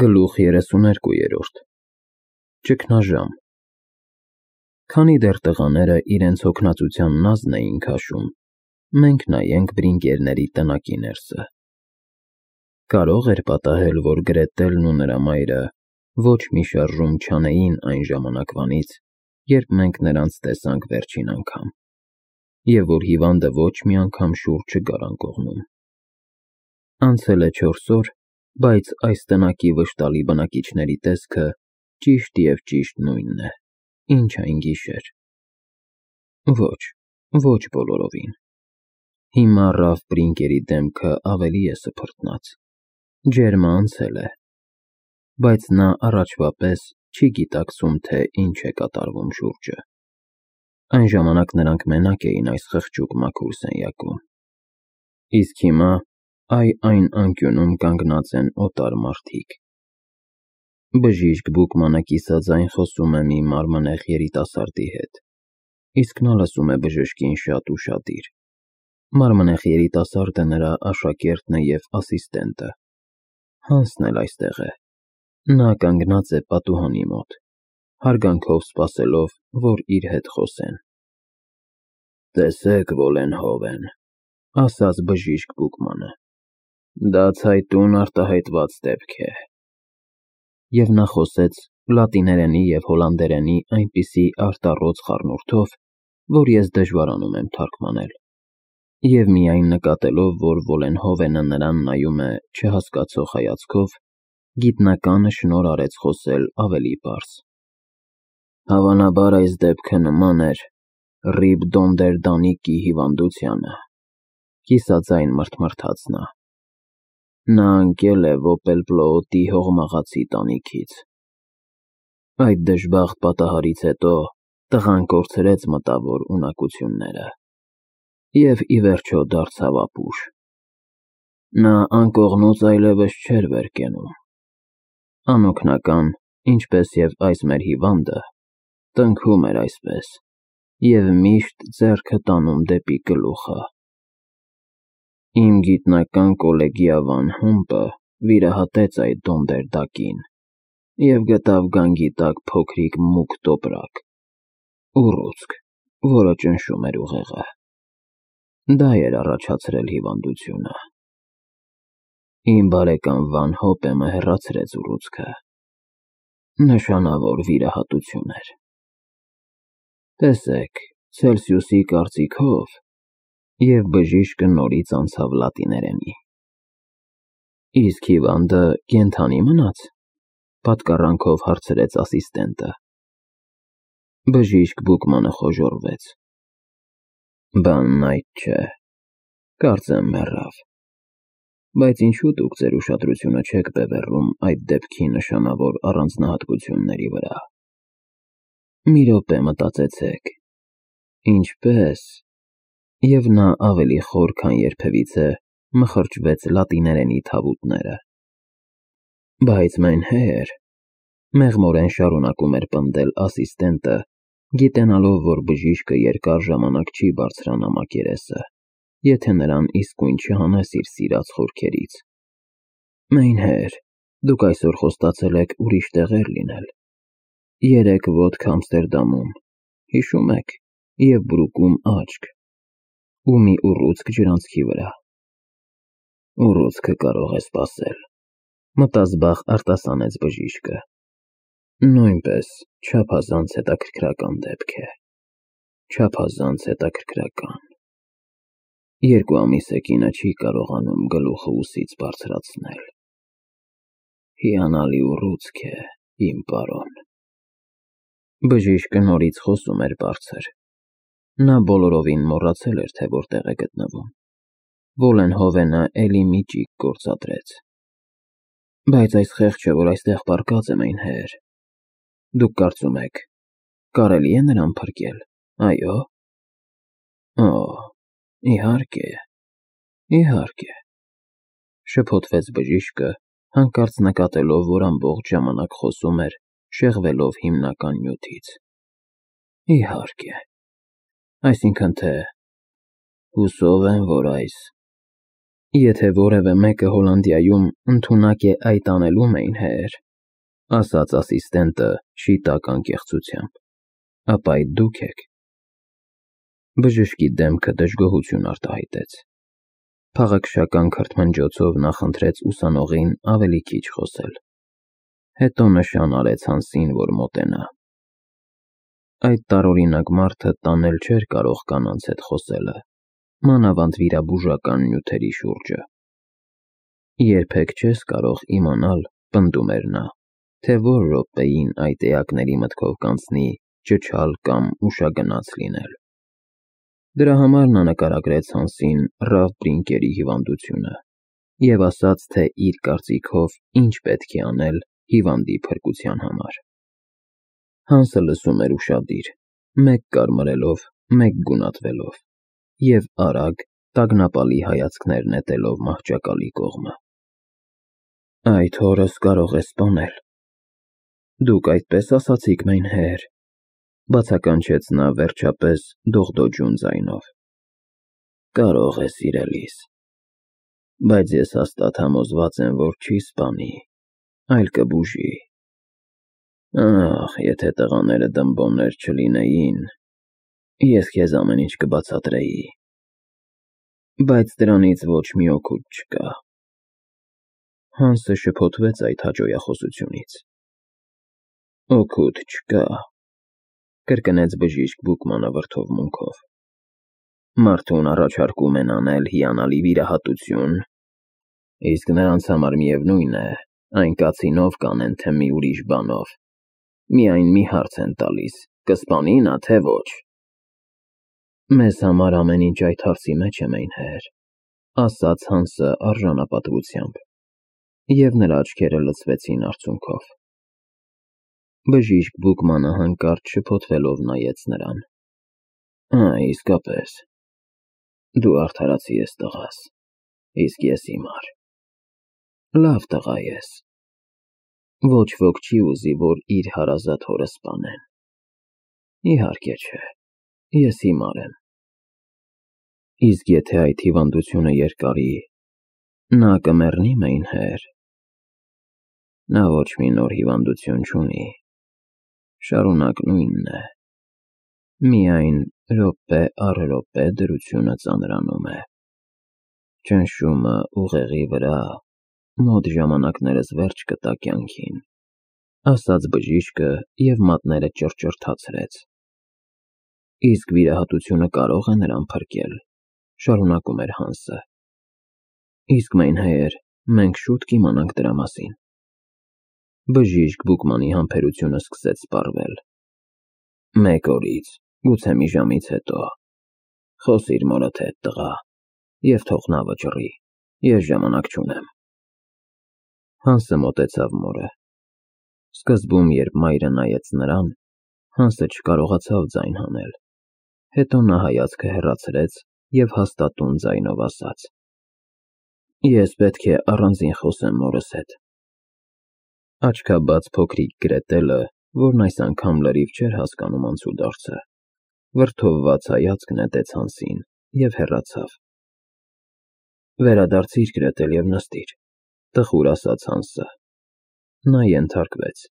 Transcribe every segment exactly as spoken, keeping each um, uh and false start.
Գլուխ երեսուներկուերորդ Ճգնաժամ Քանի դեռ տղաները իրենց հոգնածության նազն էին քաշում, մենք նայենք բրինգերների տնակի ներսը։ Կարո՞ղ էր պատահել, որ Գրետելն ու նրա մայրը ոչ մի շարժում չանեին այն ժամանակվանից, երբ մենք նրանց տեսանք վերջին անգամ, և որ հիվանդը ոչ մի անգամ շուռ չգար անկողնում։ Անցել է չորս օր, բայց այս տնակի վշտալի բնակիչների տեսքը ճիշտ և ճիշտ նույնն է, ինչ այն գիշեր։ Ոչ, ոչ բոլորովին։ Հիմա Ռալֆ Բրինգերի դեմքը ավելի է սփռտնած, ջերմը անցել է, բայց նա առաջվա պես չի գիտակցում, թե ինչ է կատարվում շուրջը։ Այն ժամանակ նրանք մենակ էին այս խղճուկ մաքուր սենյակում, իսկ հիմա այ այն անկյունում կանգնած են օտար մարդիկ։ Բժիշկ Բուկմանը կիսաձայն խոսում է մի մարմնեղ երիտասարդի հետ, իսկ նա լսում է բժշկին շատ ուշադիր։ Մարմնեղ երիտասարդը նրա աշակերտն է և ասիստենտը։ Հանսն էլ այստեղ է։ Նա կանգնած է պատուհանի մոտ, հարգանքով սպասելով, որ իր հետ խոսեն։ Տեսեք, Վոլենհովեն, ասաց բժիշկ Բուկմանը, դա ցայտուն արտահայտված դեպք է։ Եվ նա խոսեց լատիներենի և հոլանդերենի այնպիսի արտառոց խառնուրդով, որ ես դժվարանում եմ թարգմանել, և միայն նկատելով, որ Վոլենհովենը նրան նայում է չհասկացող հայացքով, գիտնականը շնորհ արեց խոսել ավելի պարզ։ Հավանաբար այս դեպքը նման էր Ռիբ Դոնդերդանիկի հիվանդությանը, կիսաձայն մռթմռթաց նա։ Նա ընկել է Վոպելպլոոտի հողմաղացի տանիքից։ Այդ դժբախտ պատահարից հետո տղան կորցրեց մտավոր ունակությունները և ի վերջո դարձավ ապուշ։ Նա անկողնուց այլևս չէր վեր կենում։ Անօգնական, ինչպես և այս մեր հիվանդը, տնքում էր այսպես և միշտ ձեռքը տանում դեպի գլուխը։ Իմ գիտնական կոլեգյա Վան Հումպը վիրահատեց այդ Դոնդերդակին և գտավ գանգի տակ փոքրիկ մուգ տոպրակ, ուռուցք, որը ճնշում էր ուղեղը։ Դա էր առաջացրել հիվանդությունը։ Իմ բարեկամ Վան Հոպեմը հեռացրեց ուռուցքը։ Նշանավոր վիրահատություն էր։ Տեսեք, Ցելսիուսի կարծիքով… Եվ բժիշկը նորից անցավ լատիներենի։ Իսկ հիվանդը կենդանի մնա՞ց, պատկառանքով հարցրեց ասիստենտը։ Բժիշկ Բուկմանը խոժոռվեց։ Բանն այդ չէ, կարծեմ մեռավ։ Բայց ինչու դուք ձեր ուշադրությունը չեք բևեռում այդ դեպքի նշանավոր առանձնահատկությունների վրա։ Մի րոպե մտածեցեք, ինչպե՞ս… Եվ նա ավելի խոր, քան երբևիցե մխրճվեց լատիներենի թավուտները։ Բայց մենհեր… Մեղմորեն շարունակում էր պնդել ասիստենտը, գիտենալով, որ բժիշկը երկար ժամանակ չի բարձրանա մակերեսը, եթե նրան իսկույն չհանես իր սիրած խորքերից։ Մենհեր… Դուք այսօր խոստացել եք ուրիշ տեղեր լինել։ Երեկ ոտք Ամստերդամում, հիշո՞ւմ եք, և Բրուկում աչք, ու մի ուռուցք ջրանցքի վրա։ Ուռուցքը կարող է սպասել, մտազբաղ արտասանեց բժիշկը։ Նույնպես չափազանց հետաքրքրական դեպք է։ Չափազանց հետաքրքրական։ Երկու ամիս է կինը չի կարողանում գլուխը ուսից բարձրացնել։ Հիանալի ուռուցք է, իմ պարոն։ Բժիշկը նորից խոսում էր բարձր։ Նա բոլորովին մոռացել էր, թե որտեղ է գտնվում։ Վոլենհովենը էլի մի ճիգ գործադրեց։ Բայց այս խեղճը, որ այստեղ պառկած է, մենհեր… Դուք կարծում եք, կարելի է նրան փրկել, այո՞։ Օ, իհարկե, իհարկե… Շփոթվեց բժիշկը, հանկարծ նկատելով, որ ամբողջ ժամանակ խոսում էր, շեղվելով հիմնական նյութից։ Իհարկե… Այսինքն թե… Հուսով եմ, որ այս… Եթե որևէ մեկը Հոլանդիայում ընդունակ է այդ անելու, մեյնհեր, ասաց ասիստենտը շիտակ անկեղծությամբ, ապա այդ դուք եք։ Բժշկի դեմքը դժգոհություն արտահայտեց։ Փաղաքշական քրթմնջոցով նա խնդրեց ուսանողին ավելի քիչ խոսել։ Հետո նշան արեց Հանսին, որ մոտենա։ Այդ տարօրինակ մարդը տանել չէր կարող կանանց հետ խոսելը, մանավանդ վիրաբուժական նյութերի շուրջը։ Երբեք չես կարող իմանալ, պնդում էր նա, թե որ րոպեին այդ էակների մտքով կանցնի ճչալ կամ ուշագնաց լինել։ Դրա համար նա նկարագրեց Հանսին Ռալֆ Բրինկերի հիվանդությունը և ասաց, թե իր կարծիքով ինչ պետք է անել հիվանդի փրկության համար։ Հանսը լսում էր ուշադիր, մեկ կարմրելով, մեկ գունատվելով և արագ, տագնապալի հայացքներ նետելով մահճակալի կողմը։ Այդ հորս կարող է սպանել։ Դուք այդպես ասացիք, մեյնհեր, բացականչեց նա վերջապես դողդոջուն ձայնով։ Կարող է, սիրելիս, բայց ես հաստատ համոզված եմ, որ չի սպանի, այլ կբուժի։ Ախ, եթե տղաները դմբոներ չլինեին, ես քեզ ամեն ինչ կբացատրեի, բայց դրանից ոչ մի օգուտ չկա։ Հանսը շփոթվեց այդ հաճոյախոսությունից։ Օգուտ չկա, կրկնեց բժիշկ Բուկմանը վրդովմունքով։ Մարդուն առաջարկում են անել հիանալի վիրահատություն, իսկ նրանց համար միևնույն է, այն կացինով կանեն, թե մի ուրիշ բանով։ Միայն մի հարց են տալիս, կսպանի նա, թե ոչ։ Մեզ համար ամեն ինչ այդ հարցի մեջ է, մեյնհեր, ասաց Հանսը արժանապատվությամբ, և նրա աչքերը լցվեցին արցունքով։ Բժիշկ Բուկմանը հանկարծ շփոթվելով նայեց նրան։ Ա, իսկապես, դու արդարացի ես, տղաս, իսկ ես հիմար։ Լավ տղա ես։ Ոչ ոք չի ուզի, որ իր հարազատ հորը սպանեն։ Իհարկե չէ, ես հիմար եմ։ Իսկ եթե այդ հիվանդությունը երկարի, նա կմեռնի, մեյնհեր։ Նա ոչ մի նոր հիվանդություն չունի, շարունակ նույնն է, միայն րոպե առ րոպե դրությունը ծանրանում է։ Ճնշումը ուղեղի վրա մոտ ժամանակներս վերջ կտա կյանքին, ասաց բժիշկը և մատները ճռճռթացրեց։ Իսկ վիրահատությունը կարող է նրան փրկել, շարունակում էր Հանսը։ Իսկ մեյնհեր, մենք շուտ կիմանանք դրա մասին։ Բժիշկ Բուկմանի համբերությունը սկսեց սպառվել։ Մեկ օրից, գուցե մի ժամից հետո, խոսիր մորդ հետ, տղա, և թող նա վճռի, ես ժամանակ չունեմ։ Հանսը մոտեցավ մորը։ Սկզբում, երբ մայրը նայեց նրան, Հանսը չկարողացավ ձայն հանել, հետո նա հայացքը հեռացրեց և հաստատուն ձայնով ասաց. Ես պետք է առանձին խոսեմ մորս հետ։ Աչքաբաց փոքրիկ Գրետելը, որն այս անգամ լրիվ չէր հասկանում անցուդարձը, վրդովված հայացք նետեց Հանսին և հեռացավ։ Վերադարձիր, Գրետել, և նստիր, տխուր ասաց Հանսը։ Նա ենթարկվեց։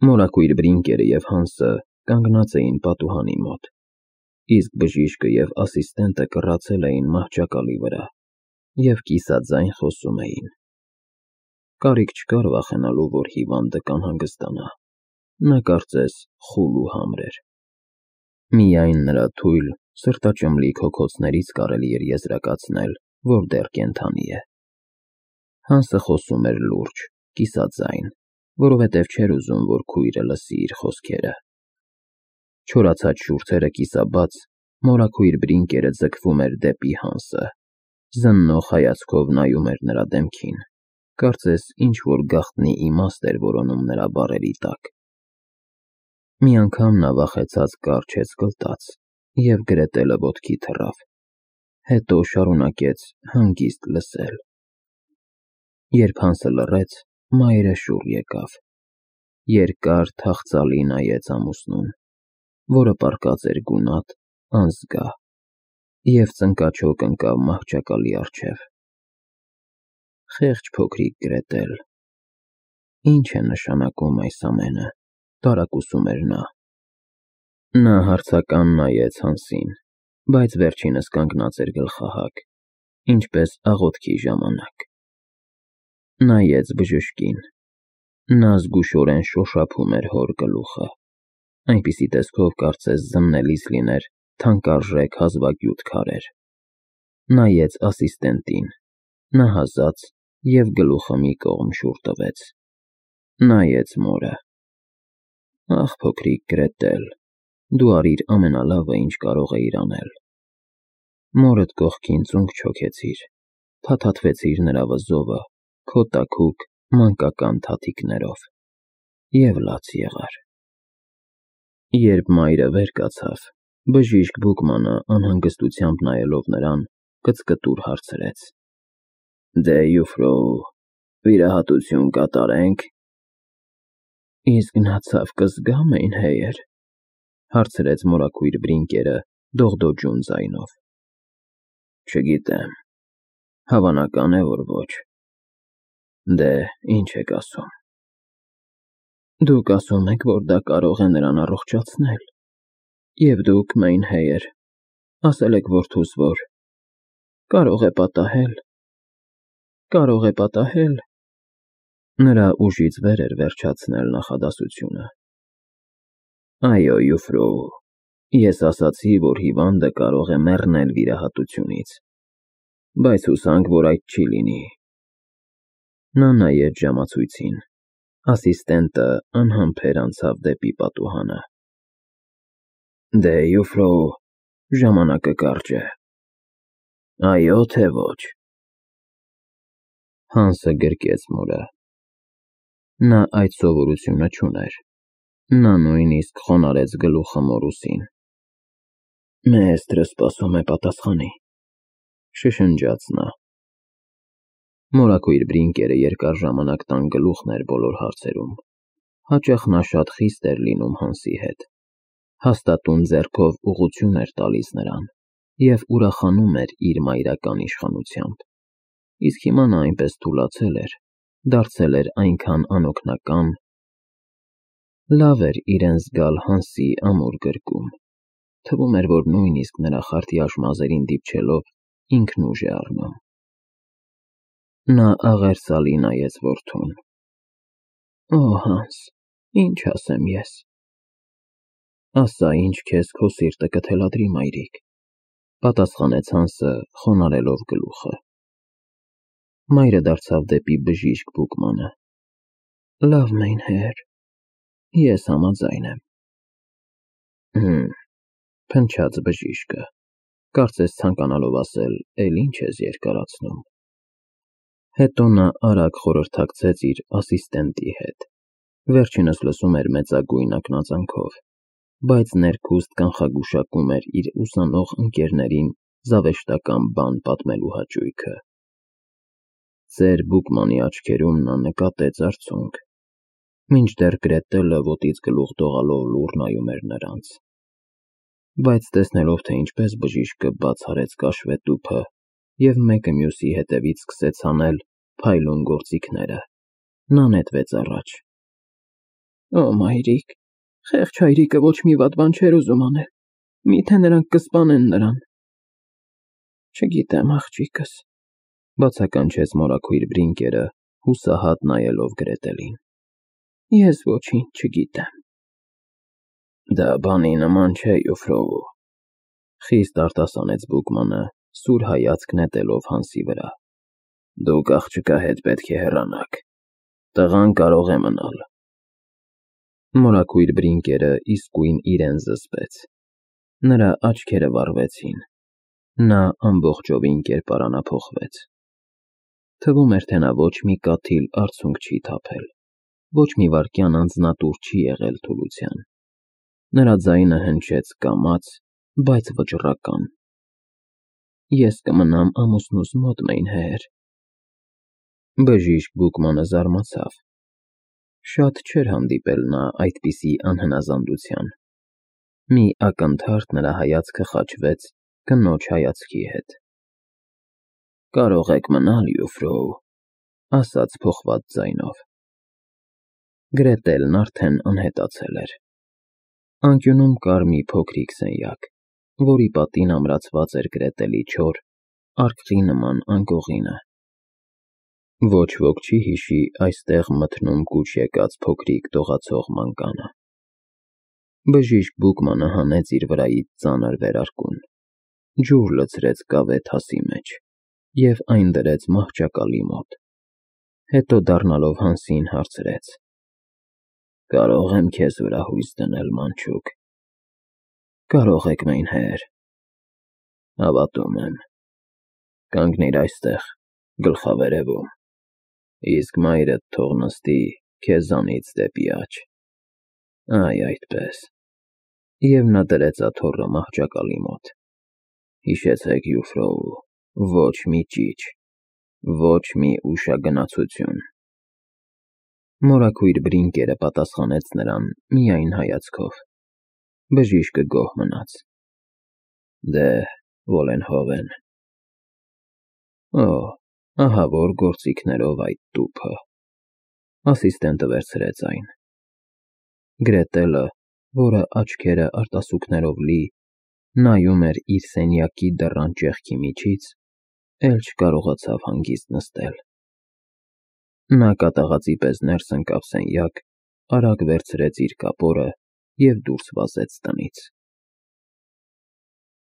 Մորակույր Բրինկերը և Հանսը կանգնած էին պատուհանի մոտ, իսկ բժիշկը և ասիստենտը կռացել էին մահճակալի վրա և կիսաձայն խոսում էին։ Կարիք չկար վախենալու, որ հիվանդը կանհանգստանա, նա կարծես խուլ ու համր էր։ Միայն նրա թույլ, սրտաճմլիկ հոգոցներից կարելի էր եզրակացնել, որ դեռ կենդանի է։ Հանսը խոսում էր լուրջ, կիսաձայն, որովհետև չէր ուզում, որ քույրը լսի իր խոսքերը։ Չորացած շուրթերը կիսաբաց, մորաքույր Բրինկերը ձգվում էր դեպի Հանսը, զննող հայացքով նայում էր նրա դեմքին, կարծես ինչ-որ գաղտնի իմաստ էր որոնում նրա բառերի տակ։ Մի անգամ նա վախեցած կառչեց գլտած, և Գրետելը ոտքի թռավ, հետո շարունակեց հանգիստ լսել։ Երբ Հանսը լռեց, մայրը շուռ եկավ, երկար թախծալի նայեց ամուսնուն, որը պառկած էր գունատ, անզգա, և ծնկաչոք ընկավ մահճակալի առջև։ Խեղճ փոքրիկ Գրետել, ի՞նչ է նշանակում այս ամենը, տարակուսում էր նա։ Նա հարցական նայեց Հանսին, բայց վերջինս կանգնած էր գլխահակ, ինչպես աղոթքի ժամանակ։ Նայեց բժշկին, նա զգուշորեն շոշափում էր հոր գլուխը, այնպիսի տեսքով, կարծես զննելիս լիներ թանկարժեք հազվագյուտ քարեր։ Նայեց ասիստենտին, նա հազաց և գլուխը մի կողմ շուռ տվեց։ Նայեց մորը. Ախ, փոքրիկ Գրետել, դու արիր ամենալավը, ինչ կարող էիր անել։ Մորդ կողքին ծունկ չոքեցիր, փաթաթվեցիր նրա վզովը քո տաքուկ, մանկական թաթիկներով և լաց եղար։ Երբ մայրը վեր կացավ, բժիշկ Բուկմանը անհանգստությամբ նայելով նրան, կծկտուր հարցրեց. Դե, Յուֆրոու, վիրահատություն կատարե՞նք։ Իսկ նա ցավ կզգա Մեյնհեյր, հարցրեց մորաքույր Բրինկերը դողդոջուն ձայնով։ Չգիտեմ, հավանական է, որ ոչ։ Դե, ինչ եք ասում։ Դուք ասում եք, որ դա կարող է նրան առողջացնել, և դուք, Մեյնհեյր, ասել եք որդուս, որ կարող է պատահել, կարող է պատահել… Նրա ուժից վեր էր վերջացնել նախադասությունը։ Այո, Յուֆրոու, ես ասացի, որ հիվանդը կարող է մեռնել վիրահատությունից, բայց հուսանք, որ այդ չի լինի։ Նա նայեց ժամացույցին, ասիստենտը անհամբեր անցավ դեպի պատուհանը։ Դե, Յուֆրոու, ժամանակը կարճ է։ Այո, թե ոչ։ Հանսը գրկեց մորը։ Նա այդ սովորությունը չուներ։ Նա նույնիսկ խոնարհեց գլուխը մոր ուսին։ Մեեստրը սպասում է պատասխանի, շշնջաց նա։ Մորաքույր Բրինկերը երկար ժամանակ տան գլուխն էր բոլոր հարցերում։ Հաճախ նա շատ խիստ էր լինում Հանսի հետ, հաստատուն ձեռքով ուղղություն էր տալիս նրան և ուրախանում էր իր մայրական իշխանությամբ, իսկ հիմա նա այնպես թուլացել էր, դարձել էր այնքան անօգնական… Լավ էր իրեն զգալ Հանսի ամուր գրկում, թվում էր, որ նույնիսկ նրա խարտյաշ մազերին դիպչելով ինքն ուժ է առնում։ Նա աղերսալի նայեց որդուն։ Օ, Հանս, ինչ ասեմ ես… Ասա, ինչ քեզ քո սիրտը կթելադրի, մայրիկ, պատասխանեց Հանսը, խոնարհելով գլուխը։ Մայրը դարձավ դեպի բժիշկ Բուկմանը։ Լավ, Մեյնհեյր, ես համաձայն եմ։ Հըմ, փնչաց բժիշկը, կարծես ցանկանալով ասել, էլ ինչ ես երկարացնում։ Հետո նա արագ խորհրդակցեց իր ասիստենտի հետ, վերջինս լսում էր մեծագույն ակնածանքով, բայց ներքուստ կանխագուշակում էր իր ուսանող ընկերներին զավեշտական բան պատմելու հաճույքը։ Ծեր Բուկմանի աչքերում նա նկատեց արցունք, մինչդեռ Գրետելը ոտից գլուխ դողալով լուռ նայում էր նրանց։ Բայց տեսնելով, թե ինչպես բժիշկը բաց արեց կաշվետուփը և մեկը մյուսի հետևից սկսեց անել փայլուն գործիքները, նա նետվեց առաջ։ Օ, մայրիկ, խեղճ հայրիկը ոչ մի վատ բան չէր ուզում անել, միթե նրանք կսպանեն նրան։ Չգիտեմ, աղջիկս, բացականչեց մորաքույր Բրինկերը, հուսահատ նայելով Գրետելին։ Ես ոչինչ չգիտեմ։ Դա բանի նման չէ, Յուֆրոու, խիստ արտասանեց Բուկմանը, սուր հայացք նետելով Հանսի վրա։ Դուք աղջկա հետ պետք է հեռանաք, տղան կարող է մնալ։ Մորաքույր Բրինկերը իսկույն իրեն զսպեց։ Նրա աչքերը վառվեցին։ Նա ամբողջովին կերպարանափոխվեց։ Թվում էր, թե նա ոչ մի կաթիլ արցունք չի թափել, ոչ մի վայրկյան անձնատուր չի եղել թուլության։ Նրա ձայնը հնչեց կամաց, բայց վճռական։ Ես կմնամ ամուսնուս մոտ, Մեյնհեյր։ Բժիշկ Բուկմանը զարմացավ։ Շատ չէր հանդիպել նա այդպիսի անհնազանդության։ Մի ակնթարթ նրա հայացքը խաչվեց, կնոջ հայացքի հետ։ Կարող եք մնալ, Յուֆրոու, ասաց փոխված ձայնով։ Գրետելն արդեն անհետացել էր։ Անկյունում կար մի փոքրիկ սենյակ, որի պատին ամրացված էր Գրետելի չոր, արկղի նման անկողինը։ Ոչ ոք չի հիշի այստեղ մթնում կուչ եկած փոքրիկ դողացող մանկանը։ Բժիշկ Բուկմանը հանեց իր վրայից ծանր վերարկուն, ջուր լցրեց կավե թասի մեջ և այն դրեց մահճակալի մոտ, հետո դառնալով Հանսին հարցրեց. «Կարո՞ղ եմ քեզ վրա հույս դնել, մանչուկ»։ «Կարող եք, մեյնհեր»։ «Հավատում եմ։ Կանգնիր այստեղ, գլխավերևում, իսկ մայրդ թող նստի քեզանից դեպի աջ, այ այդպես»։ Եվ նա դրեց աթոռը մահճակալի մոտ։ «Հիշեցեք, Յուֆրոու, ոչ մի ճիչ, ոչ մի ուշագնացություն»։ Մորաքույր Բրինկերը պատասխանեց նրան միայն հայացքով։ Բժիշկը գոհ մնաց։ «Դե, Վոլենհովեն»։ «Օ, ահա որ գործիքներով այդ տուփը»։ Ասիստենտը վերցրեց այն։ Գրետելը, որը աչքերը արտասուքներով լի, նայում էր իր սենյակի դռան ճեղքի միջից, էլ չկարողացավ հանգիստ նստել։ Նա կատաղածի պես ներս ընկավ սենյակ, արագ վերցրեց իր կապորը և դուրս վազեց տնից։